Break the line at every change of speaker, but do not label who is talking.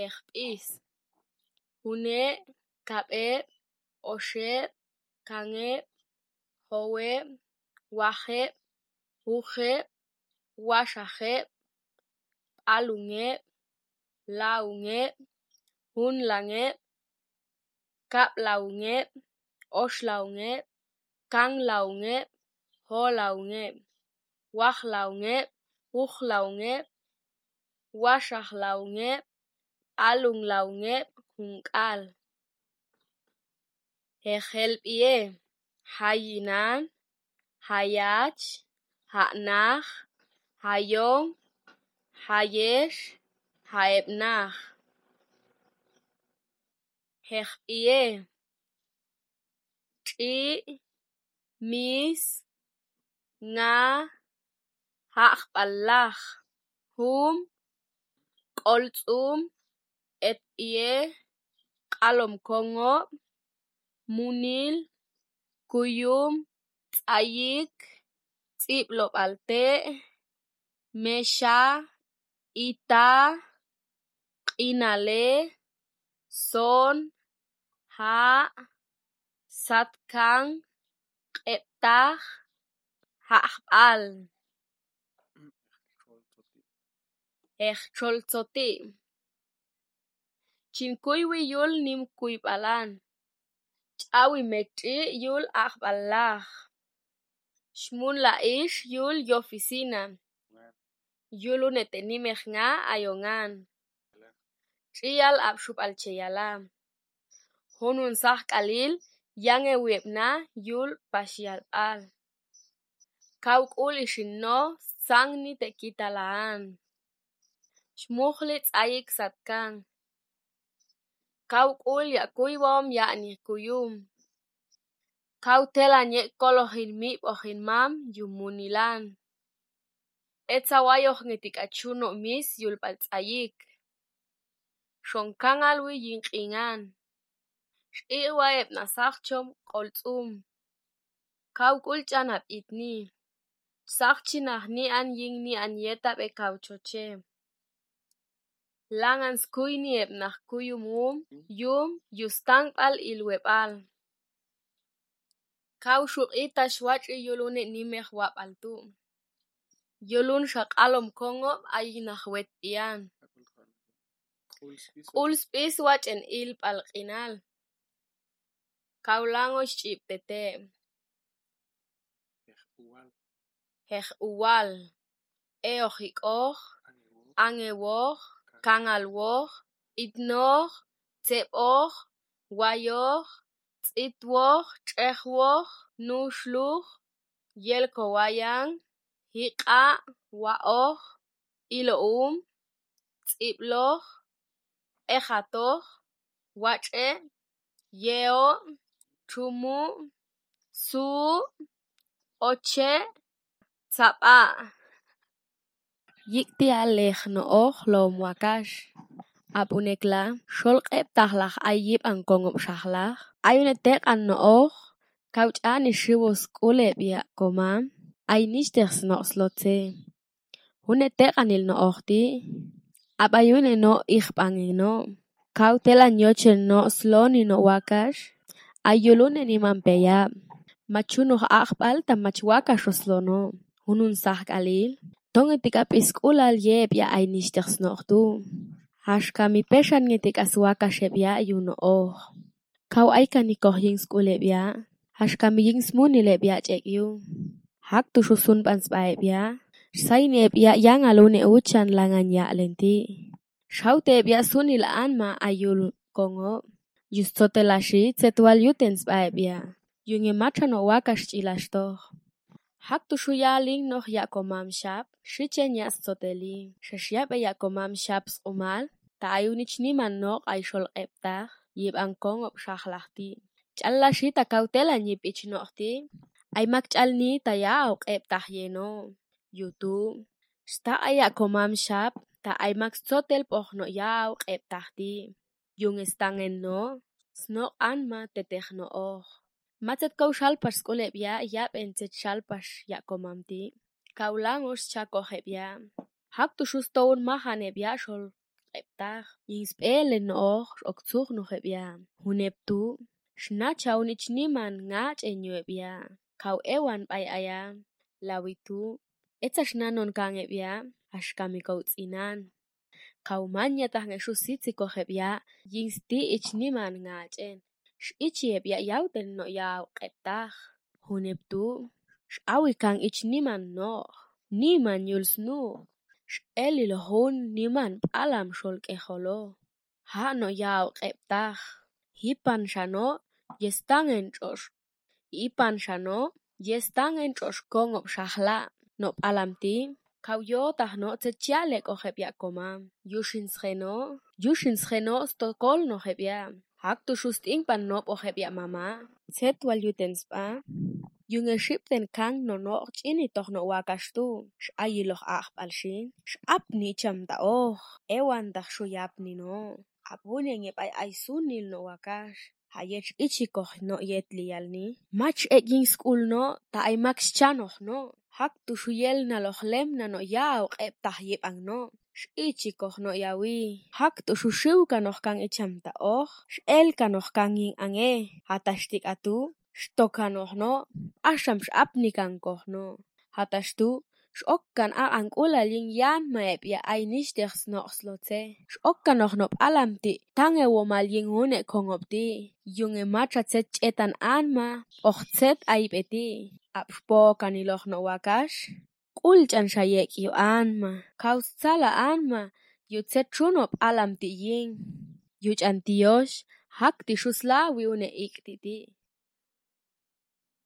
ეხპის ჰუნე გაპე ოშე კანგე ჰოვე ვახე უხე ვაშახე პალუნე ლაუნე ჰუნლანგე გაპლაუნე ოშლაუნე კანგლაუნე ჰოლაუნე ვახლაუნე უხლაუნე ვაშახლაუნე ალუნლაუნე ჰუნკალ ეხელპიე ჰაინან ჰაიაჩ ჰანახ ჰაიონ ჰაიეშ ჰაებნახ ეხპიე ჭი მის ნა ჰახპალახ ჰუმ კოლწუმ ეტიე ყალომქონგო მუნილ გუიუმ წაიკ წიპლოპალტე მეშა იტა ყინალე სონ ჰა სათკან ყეპტახ ჰახპალ ეხჩოლცოტი ჩინკუივი იულ ნიმკუიპალან ჭავი მეკჭი იულ ახპალახ შმუნლა იშ იულ იოფისინა იულუნეტე ნიმეხნა აიონგან ჭიალ აფშუპალჩეიალა ჰონუნ სახკალილ იანგეუებნა იულ ბაშიალპალ კაუკულიში ნო სანგნი ტეკიტალაან შმუხლი წაიკ სათკან კაუკულია კუივომ იანი კუიუმ კაუთელანე კოლოჰინ მიპოჰინ მამ იუმუნილან ეცავაიოხნიტიკა ჩუნო მის იულპალ წაიკ შონკანგალვი ჲინყინგან შყიღვაებნა სახჩომ ყოლწუმ კაუკულჭანა პიტნი სახჩინაჰნი ან ჲინგნი ან იეტაპე კაუჩოჩე ლანგანს კუინიებნახ კუიუმუმ იუმ იუსტანგპალ ილუეპალ კაუშუყიტა შვაჭი იულუნე ნიმეხ ვაპალტუ იულუნშა ყალომქონგო აიგნახ ვეტპიან ყულსპის ვაჭენ ილპალ ყინალ კავლანგოშ ჭიპტეტე ეხუვალ ეოხიკოხ ანგევოხ კანგალვოხ იდნოხ ცეპოხ ვაიოხ წიტვოხ ჭეხვოხ ნუშლუხ ილქოვაიან ჰიყა ვაოხ ილოუმ წიპლოხ ეხატოხ ვაჭე იეო ჩუმუ სუ ოჩე ცაპა იქდი ალეხნო ოხლომ ვაკაშ აპუნეკლა შოლყებ დახლახ აიებ ანკონგობ შახლახ აიუნე დეყანო ოხ კავჭანი შივოს კულებია გომა აინიშდეხს ნოხსლოცე ჰუნე დეყანილნო ოხდი აპაიუნე ნო იხპანგინო კაუტელა ნიოჩე ნო სლონინო ვაკაშ აიულუნე ნიმამპეია მაჩუნოხ ახპალ და მაჩ ვაკაშო სლონო ჰუნუნ სახკალილ დონგეტიკა პისკულალ იებია აინიშდეხს ნოხდუ ჰაშკამი პეშანგეტიკას ვაკაშებია იუნო ოხ კაუ აიკანიკოხ ჲინგს კულებია ჰაშკამი ჲინგს მუნილებია ჭეკიუ ჰაკდუშუ სუნპანსპაებია საინებია იანალუნე უჩან ლანგანია ლენტი შაუტებია სუნილ ანმა აიულ კონგო იუსწოტელაში ცეტვალ იუტენსპაებია იუნე მაჩანო ვაკაშ ჭილაშტოხ ჰაკდუშუ იალინგ ნოხ იაკომამშაპ შიჩენიას წოტელი შეშიაპე იაკომამშაპს ყუმალ და აიუნიჩნიმან ნოყ აიშოლყებდახ იბანკონგობ შახლახტი ჭალლაში და კაუტელანი პიჩნოხტი აიმაკჭალნი და იაუყებდახ იენო იუტუ შტა აიაკომამშაპ და აიმაკს წოტელ პოხნო იაუყებდახტი იუნესტანგენნო სნო ანმა ტეტეხნო ოხ მაცეთ კოუშალპაშ სკოლებია იაპენცეთ შალპაშ იაკომამდი კაულანგოშ ჩაკოხებია ჰაკდუშუსტოუნ მახანებია შოლ ყებდახ ინსპელენოხ ოქცუღნუხებია ჰუნებდუ შნაჩაუნიჩნიმან ნაჭენიოებია ქავ ევან პაიაია ლავიტუ ეცაშნანონ განებია აშკამიგოუწინან ქავ მანიატახნეშუ სიციკოხებია ინსდი იჩნიმან ნაჭენ შიჩიებია იაუდენნო იაუ ყებდახ ჰუნებდუ შავიკან იჩნიმან ნო ნიმან იულსნუ ელილ ჰუნ ნიმან პალამ შოლკეხოლო ჰანო იაუ ყებდახ ჰიპანშანო ესტანგენჭოშ იპანშანო ესტანგენჭოშ გონგობ შახლა ნო პალამტი ქავ იოტახნო ცეჩიალეკოხებია გომა იუშინსხენო სტოკოლნოხებია აქტუშუსტინპან ნოპოხებია მამა ცეტვალიუდენსპა იუნეშიპტენ კანგ ნონო ჭინიტოხნო ვაგაშტუ შაილოხ ახპალში შაპნიჩამდაოხ ევანდახშუ იაპნინო აბუნენგეპაი აისუნილნო ვაგაშ ჰაიეჩ იჩიკოხნო იეტლიალნი მაჩ ეგინსკულნო დაიმაქს ჩანოხნო ჰაქტუშუ იელნალოხ ლემნანო იაუ ყებდახ იეპანგნო შიჩიკოხნო იავი ჰაქტუშუ შიუგანოხ კანგ იჩამდაოხ შელგანოხ კანგინ ანგე ჰატაშტიკატუ შტოკანოხნო აშამშ აპნიკანგოხნო ჰატაშტუ შოკგან აანკულალინ იანმაებია აინიშდეხს ნოხსლოცე შოკგანოხნო პალამტი თანგევომალინ უნე ქონგობდი იუნე მაჩაცე ჭეტან ანმა ოხცეთ აიპედი აპშპოკანილოხნო ვაგაშ კულჭანშა იეკიო ანმა ქავსცალა ანმა იუცეჩუნო პალამტი ინ იუჭანტიოშ ჰაქტიშუსლავი უნე იქტიდი